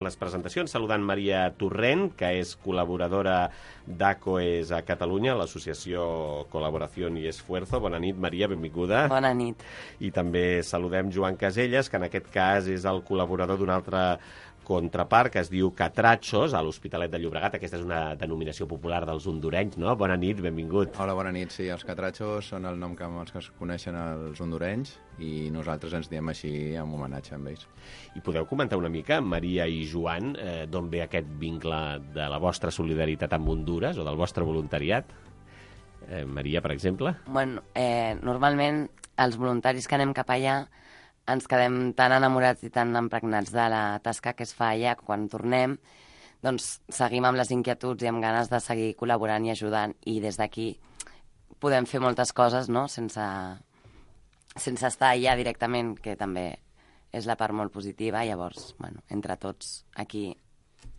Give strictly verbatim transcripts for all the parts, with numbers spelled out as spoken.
Les presentacions saludant Maria Torrent, que és col·laboradora d'ACOES a Catalunya, l'associació Col·laboració i Esfuerzo. Bona nit, Maria, benvinguda. Bona nit. I també saludem Joan Caselles, que en aquest cas és el col·laborador d'un altre contrapart, que es diu Catrachos, a l'Hospitalet de Llobregat. Aquesta és una denominació popular dels hondurenys, no? Bona nit, benvingut. Hola, bona nit. Sí, els Catrachos són el nom que els que es coneixen els hondurenys i nosaltres ens diem així en homenatge a ells. I podeu comentar una mica, Maria i Joan, eh, d'on ve aquest vincle de la vostra solidaritat amb Honduras o del vostre voluntariat? Eh, Maria, per exemple? Bueno, eh, normalment els voluntaris que anem cap allà ens quedem tan enamorats i tan impregnats de la tasca que es fa allà que quan tornem doncs seguim amb les inquietuds i amb ganes de seguir col·laborant i ajudant, i des d'aquí podem fer moltes coses, no?, sense, sense estar allà directament, que també és la part molt positiva. Llavors, bueno, entre tots aquí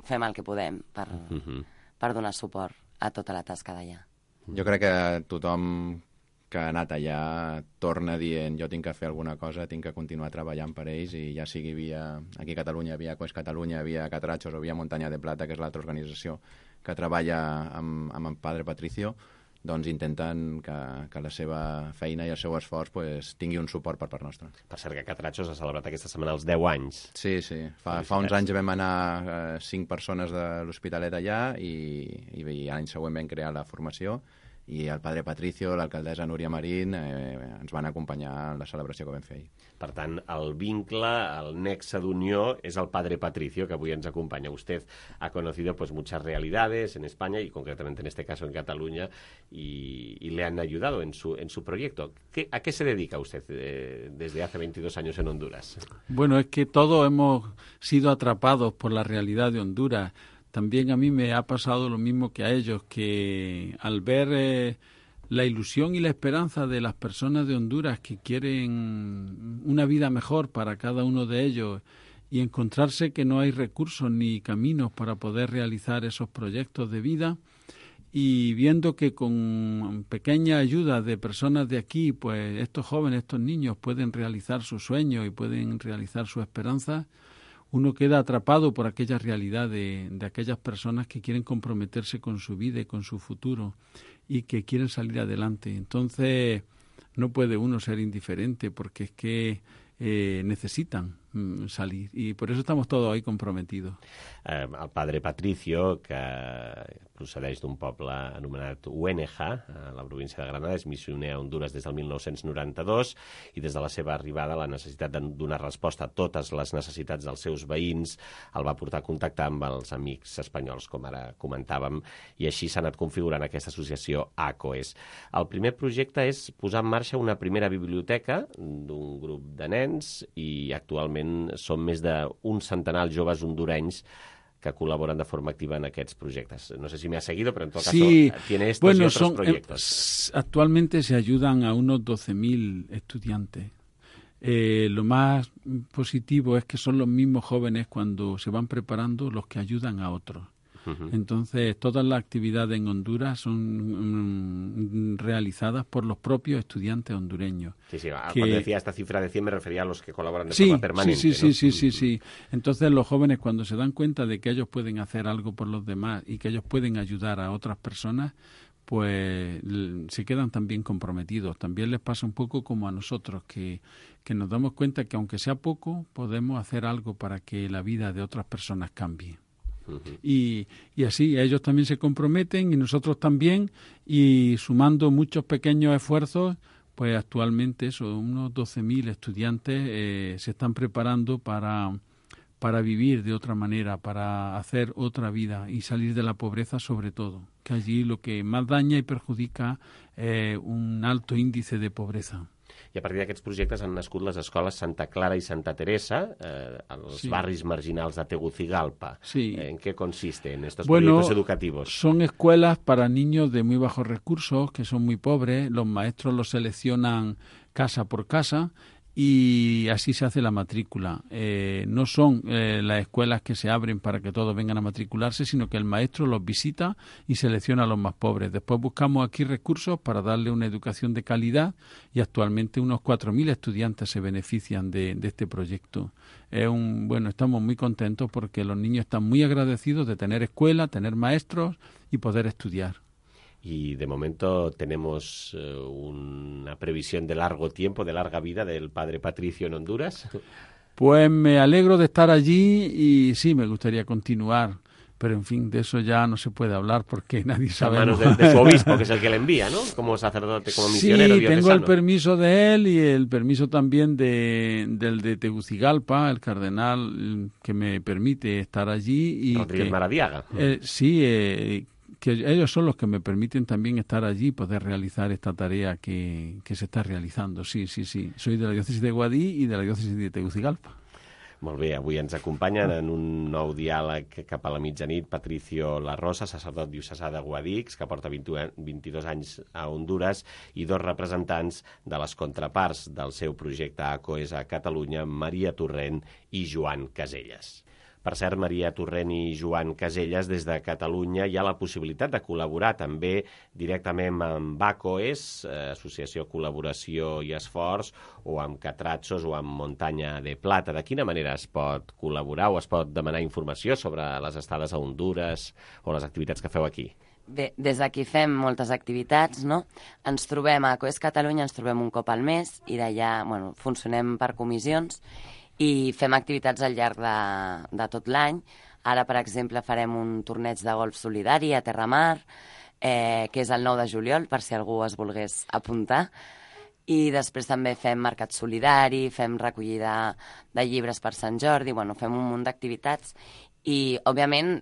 fem el que podem per, uh-huh. per donar suport a tota la tasca d'allà. Jo crec que tothom que ha anat allà torna dient jo tinc que fer alguna cosa, tinc que continuar treballant per ells, i ja sigui via, aquí a Catalunya, via ACOES Catalunya, via Catrachos o via Muntanya de Plata, que és l'altra organització que treballa amb, amb el Padre Patricio, doncs intenten que, que la seva feina i el seu esforç pues, tingui un suport per part nostra. Per cert, que Catrachos ha celebrat aquesta setmana els deu anys. Sí, sí. Fa, fa uns anys vam anar eh, cinc persones de l'Hospitalet allà i, i, i l'any següent vam crear la formació, i el Padre Patricio, l'alcaldessa Núria Marín eh, ens van acompanyar en la celebració que vam fer ahir. Per tant, el vincle, el nexe d'unió és el Padre Patricio, que avui ens acompanya. Usted ha conocido pues, muchas realidades en España y concretamente en este caso en Cataluña y, y le han ayudado en su, en su proyecto. ¿Qué, ¿A qué se dedica usted eh, desde hace veintidós años en Honduras? Bueno, es que todos hemos sido atrapados por la realidad de Honduras. También a mí me ha pasado lo mismo que a ellos, que al ver eh, la ilusión y la esperanza de las personas de Honduras que quieren una vida mejor para cada uno de ellos y encontrarse que no hay recursos ni caminos para poder realizar esos proyectos de vida, y viendo que con pequeña ayuda de personas de aquí, pues estos jóvenes, estos niños pueden realizar sus sueños y pueden realizar sus esperanzas, uno queda atrapado por aquella realidad de, de aquellas personas que quieren comprometerse con su vida y con su futuro y que quieren salir adelante. Entonces, no puede uno ser indiferente porque es que eh, necesitan mm, salir, i per això estamos todos ahí comprometidos. Eh, el Padre Patricio, que procedeix d'un poble anomenat Huéneja, a la província de Granada, és missioner a Honduras des del mil nou-cents noranta-dos, i des de la seva arribada la necessitat de donar resposta a totes les necessitats dels seus veïns el va portar a contactar amb els amics espanyols, com ara comentàvem, i així s'ha anat configurant aquesta associació ACOES. El primer projecte és posar en marxa una primera biblioteca d'un grup de nens, i actualment són més d'un centenar de joves hondurenys que colaboran de forma activa en aquests projectes. No sé si me ha seguido, pero en todo sí, caso tiene estos bueno, y otros son, proyectos. Eh, actualmente se ayudan a unos doce mil estudiantes. Eh, lo más positivo es que son los mismos jóvenes cuando se van preparando los que ayudan a otros. Uh-huh. Entonces, todas las actividades en Honduras son mm, realizadas por los propios estudiantes hondureños. Sí, sí, que... cuando decía esta cifra de cien me refería a los que colaboran de sí, forma permanente. Sí, sí, ¿no? sí, sí, sí, sí. Entonces, los jóvenes, cuando se dan cuenta de que ellos pueden hacer algo por los demás y que ellos pueden ayudar a otras personas, pues se quedan también comprometidos. También les pasa un poco como a nosotros, que, que nos damos cuenta que aunque sea poco, podemos hacer algo para que la vida de otras personas cambie. Uh-huh. Y, y así ellos también se comprometen y nosotros también, y sumando muchos pequeños esfuerzos, pues actualmente son unos doce mil estudiantes eh, se están preparando para, para vivir de otra manera, para hacer otra vida y salir de la pobreza, sobre todo, que allí lo que más daña y perjudica es eh, un alto índice de pobreza. I a partir d'aquests projectes han nascut les escoles Santa Clara i Santa Teresa, eh, als sí. barris marginals de Tegucigalpa. Sí. ¿En qué consisten estos bueno, proyectos educativos? Son escuelas para niños de muy bajos recursos, que son muy pobres. Los maestros los seleccionan casa por casa y así se hace la matrícula. Eh, no son eh, las escuelas que se abren para que todos vengan a matricularse, sino que el maestro los visita y selecciona a los más pobres. Después buscamos aquí recursos para darle una educación de calidad y actualmente unos cuatro mil estudiantes se benefician de, de este proyecto. Es un, bueno, estamos muy contentos porque los niños están muy agradecidos de tener escuela, tener maestros y poder estudiar. Y de momento tenemos eh, una previsión de largo tiempo, de larga vida del padre Patricio en Honduras. Pues me alegro de estar allí y sí, me gustaría continuar. Pero, en fin, de eso ya no se puede hablar porque nadie sabe. A manos de, de su obispo, que es el que le envía, ¿no? Como sacerdote, como misionero diocesano. Sí, tengo el permiso de él y el permiso también de, del de Tegucigalpa, el cardenal que me permite estar allí. Y Rodríguez que, Maradiaga. Eh, sí, eh, que ellos son los que me permiten también estar allí y poder realizar esta tarea que, que se está realizando. Sí, sí, sí. Soy de la diócesis de Guadí y de la diócesis de Tegucigalpa. Molt bé, avui ens acompanyen en un nou diàleg cap a la mitjanit Patricio La Rosa, sacerdot diocesà de Guadix, que porta vint-i-dos anys a Honduras, i dos representants de les contraparts del seu projecte ACOES a Catalunya, Maria Torrent i Joan Caselles. Per cert, Maria Torrent i Joan Caselles, des de Catalunya hi ha la possibilitat de col·laborar també directament amb ACOES, Associació Col·laboració i Esforç, o amb Catratxos o amb Muntanya de Plata. De quina manera es pot col·laborar o es pot demanar informació sobre les estades a Honduras o les activitats que feu aquí? Bé, des d'aquí fem moltes activitats, no? Ens trobem a ACOES Catalunya, ens trobem un cop al mes i d'allà, bueno, funcionem per comissions i fem activitats al llarg de, de tot l'any. Ara, per exemple, farem un torneig de golf solidari a Terramar, eh, que és el nou de juliol, per si algú es volgués apuntar. I després també fem mercat solidari, fem recollida de llibres per Sant Jordi, bueno, fem un munt d'activitats. I, òbviament,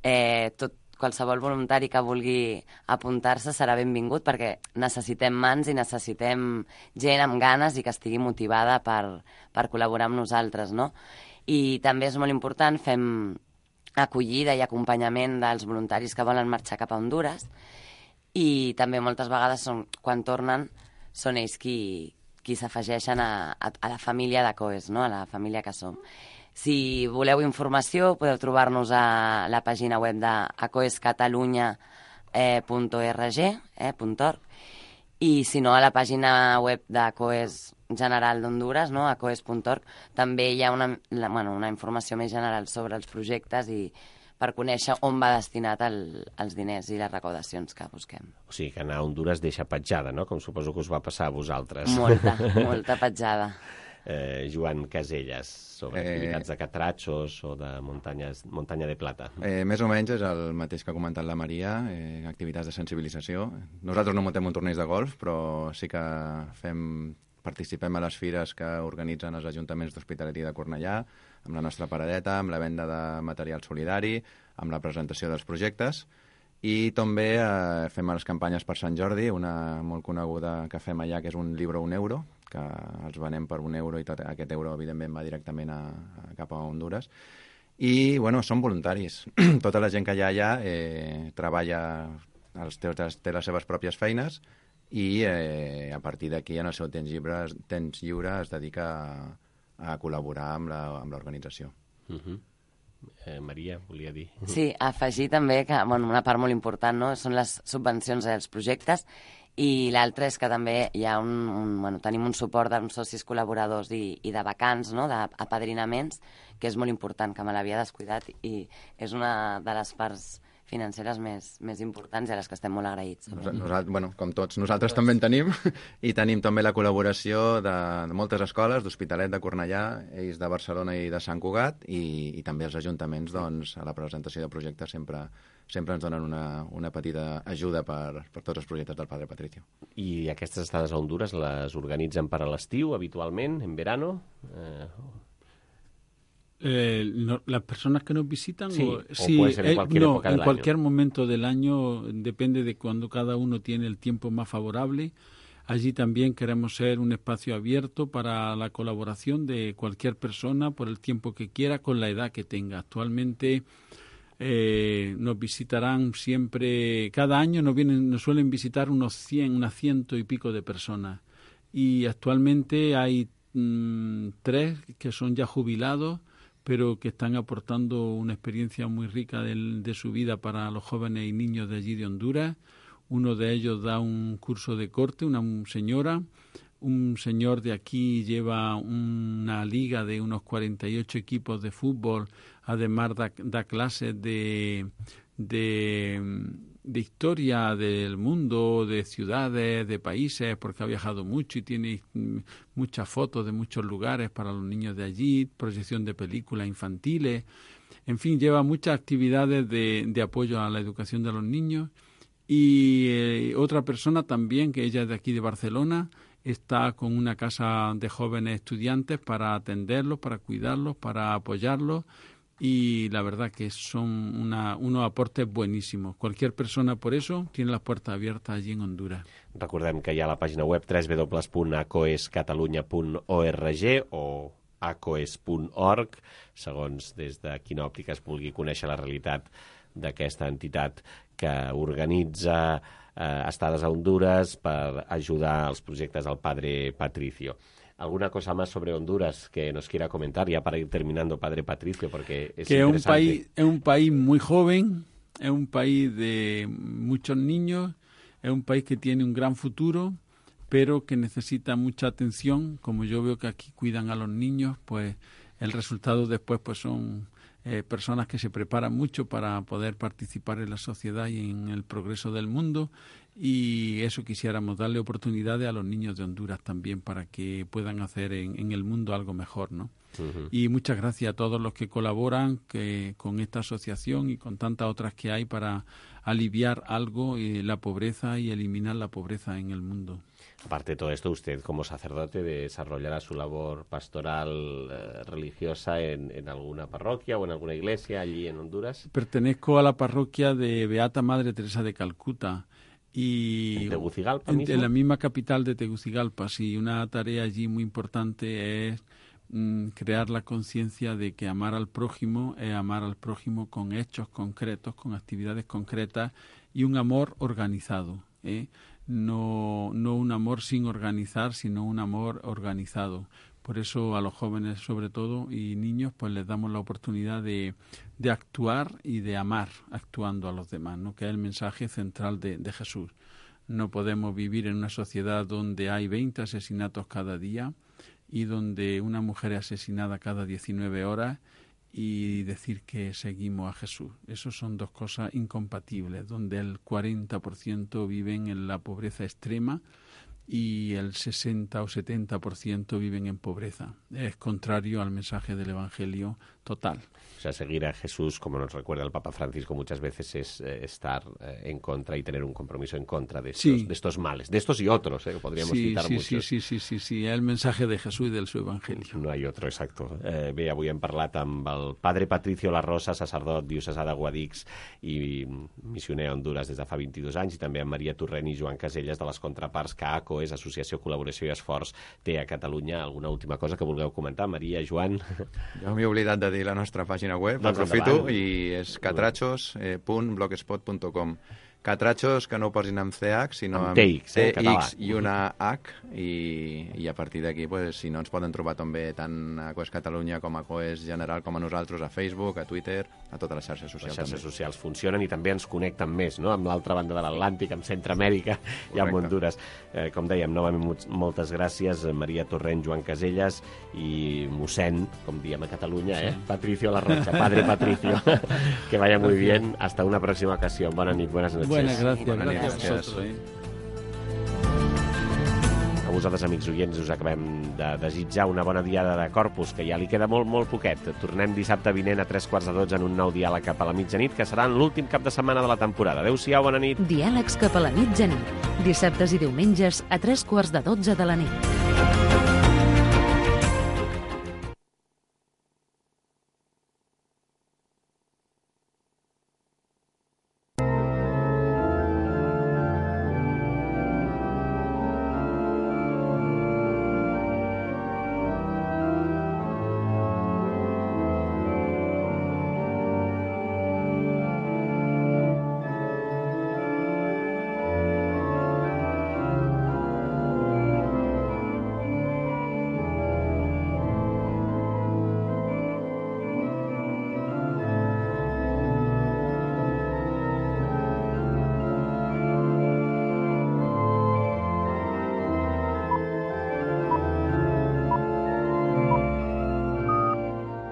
eh, tot qualsevol voluntari que vulgui apuntar-se serà benvingut perquè necessitem mans i necessitem gent amb ganes i que estigui motivada per, per col·laborar amb nosaltres, no? I també és molt important, fem acollida i acompanyament dels voluntaris que volen marxar cap a Honduras i també moltes vegades són, quan tornen són ells qui, qui s'afegeixen a, a, a la família d'ACOES, no? A la família que som. Si voleu informació, podeu trobar-nos a la pàgina web de acoescatalunya punt org, eh, .org, i si no, a la pàgina web d'ACOES General d'Honduras, no? acoes punt org, també hi ha una, la, bueno, una informació més general sobre els projectes i per conèixer on va destinat el, els diners i les recaudacions que busquem. O sigui que anar a Honduras deixa petjada, no? Com suposo que us va passar a vosaltres. Molta, molta petjada. Eh, Joan Caselles, sobre Eh, activitats de Catratxos o de muntanyes, Muntanya de Plata. Eh, més o menys és el mateix que ha comentat la Maria, eh, activitats de sensibilització. Nosaltres no muntem un torneig de golf, però sí que fem, participem a les fires que organitzen els ajuntaments d'Hospitalet i de Cornellà, amb la nostra paradeta, amb la venda de material solidari, amb la presentació dels projectes, i també eh, fem les campanyes per Sant Jordi, una molt coneguda que fem allà, que és un llibre un euro, que els venem per un euro i tot aquest euro, evidentment, va directament a, a, cap a Honduras. I, bueno, són voluntaris. Tota la gent que hi ha allà eh, treballa, els té, té les seves pròpies feines i eh, a partir d'aquí, en el seu temps lliure, temps lliure es dedica a, a col·laborar amb l'organització. Uh -huh. eh, Maria, volia dir. Sí, afegir també que bueno, una part molt important, no? Són les subvencions als projectes i l'altre és que també hi ha un, un, bueno, tenim un suport d'uns socis col·laboradors i, i de vacants, no? D'apadrinaments, que és molt important, que me l'havia descuidat i és una de les parts financeres més, més importants i a les que estem molt agraïts. Nosaltres, bueno, com tots, nosaltres també en tenim i tenim també la col·laboració de, de moltes escoles, d'Hospitalet, de Cornellà, ells de Barcelona i de Sant Cugat i, i també els ajuntaments, doncs, a la presentació de projectes sempre sempre ens donen una, una petita ajuda per, per tots els projectes del Padre Patricio. I aquestes estades a Honduras les organitzen per a l'estiu, habitualment, en verano? Eh... Eh, no, las personas que nos visitan sí, o, o sí, puede ser en cualquier eh, no, época en del cualquier año. momento del año, depende de cuando cada uno tiene el tiempo más favorable. Allí también queremos ser un espacio abierto para la colaboración de cualquier persona por el tiempo que quiera, con la edad que tenga. Actualmente eh, nos visitarán siempre, cada año nos vienen, nos suelen visitar unos cien, unas ciento y pico de personas. Y actualmente hay mmm, tres que son ya jubilados, pero que están aportando una experiencia muy rica de, de su vida para los jóvenes y niños de allí de Honduras. Uno de ellos da un curso de corte, una señora. Un señor de aquí lleva una liga de unos cuarenta y ocho equipos de fútbol, además da, da clases de, de, de historia del mundo, de ciudades, de países, porque ha viajado mucho y tiene muchas fotos de muchos lugares para los niños de allí, proyección de películas infantiles, en fin, lleva muchas actividades de, de apoyo a la educación de los niños. Y eh, otra persona también, que ella es de aquí de Barcelona, está con una casa de jóvenes estudiantes para atenderlos, para cuidarlos, para apoyarlos, y la verdad que son una, unos aportes buenísimos. Cualquier persona, por eso, tiene las puertas abiertas allí en Honduras. Recordem que hi ha la pàgina web w w w punt acoescatalunya punt org o acoes punt org, segons des de quina òptica es vulgui conèixer la realitat d'aquesta entitat que organitza eh, estades a Honduras per ajudar als projectes del Padre Patricio. ¿Alguna cosa más sobre Honduras que nos quiera comentar ya para ir terminando, Padre Patricio? Porque es que interesante. Un país, es un país muy joven, es un país de muchos niños, es un país que tiene un gran futuro, pero que necesita mucha atención. Como yo veo que aquí cuidan a los niños, pues el resultado después pues son eh, personas que se preparan mucho para poder participar en la sociedad y en el progreso del mundo, y eso quisiéramos, darle oportunidades a los niños de Honduras también para que puedan hacer en, en el mundo algo mejor, ¿no? Uh-huh. Y muchas gracias a todos los que colaboran que, con esta asociación y con tantas otras que hay para aliviar algo eh, la pobreza y eliminar la pobreza en el mundo. Aparte de todo esto, usted como sacerdote desarrollará su labor pastoral eh, religiosa en, en alguna parroquia o en alguna iglesia allí en Honduras. Pertenezco a la parroquia de Beata Madre Teresa de Calcuta. Y ¿En Tegucigalpa en, mismo? En la misma capital de Tegucigalpa, sí. Una tarea allí muy importante es mm, crear la conciencia de que amar al prójimo es amar al prójimo con hechos concretos, con actividades concretas y un amor organizado, ¿eh? No, no un amor sin organizar, sino un amor organizado. Por eso a los jóvenes, sobre todo, y niños, pues les damos la oportunidad de, de actuar y de amar actuando a los demás, ¿no? Que es el mensaje central de, de Jesús. No podemos vivir en una sociedad donde hay veinte asesinatos cada día y donde una mujer es asesinada cada diecinueve horas y decir que seguimos a Jesús. Esas son dos cosas incompatibles, donde el cuarenta por ciento viven en la pobreza extrema y el sesenta o setenta por ciento viven en pobreza. Es contrario al mensaje del Evangelio total. O sea, seguir a Jesús, como nos recuerda el Papa Francisco muchas veces, es eh, estar eh, en contra y tener un compromiso en contra de estos, sí. de estos males, de estos y otros, eh, que podríamos sí, citar sí, muchos. Sí, sí, sí, sí, sí, es el mensaje de Jesús i del seu Evangelio. No hi ha otro, exacto. Eh, bé, avui hem parlat amb el Padre Patricio La Rosa, sacerdot diocesà de Guadix i missioner a Honduras des de fa vint-i-dos anys, i també amb Maria Torrent i Joan Caselles de les contraparts que A C O és Associació, Col·laboració i Esforç té a Catalunya. Alguna última cosa que vulgueu comentar? Maria, Joan? Jo m'he oblidat de dir la nostra pàgina web, doncs aprofito, i és catrachos punt blogspot punt com. Catrachos, que no ho posin amb C H, sinó amb, amb T X, eh, T X i una H, i, i a partir d'aquí, pues, si no, ens poden trobar també tant a Coes Catalunya com a Coes General com a nosaltres, a Facebook, a Twitter, a totes les xarxes socials. Les xarxes també. socials funcionen i també ens connecten més, no?, amb l'altra banda de l'Atlàntic, amb Centroamèrica i amb Honduras. Eh, com dèiem, novament moltes gràcies, Maria Torrent, Joan Caselles i mossèn, com diem a Catalunya, eh? Patricio La Rocha, Padre Patricio. Que vaya muy bien. Hasta una próxima ocasión. Buenas noches. Buenas noches. Buenas, gracias. Buenas Gracias noches. a vosotros. Eh? A vosaltres, amics oients, us acabem de desitjar una bona diada de Corpus, que ja li queda molt, molt poquet. Tornem dissabte vinent a tres quarts de dotze en un nou diàleg cap a la mitjanit, que serà en l'últim cap de setmana de la temporada. Adéu-siau, bona nit. Diàlegs cap a la mitjanit. Dissabtes i diumenges a tres quarts de dotze de la nit.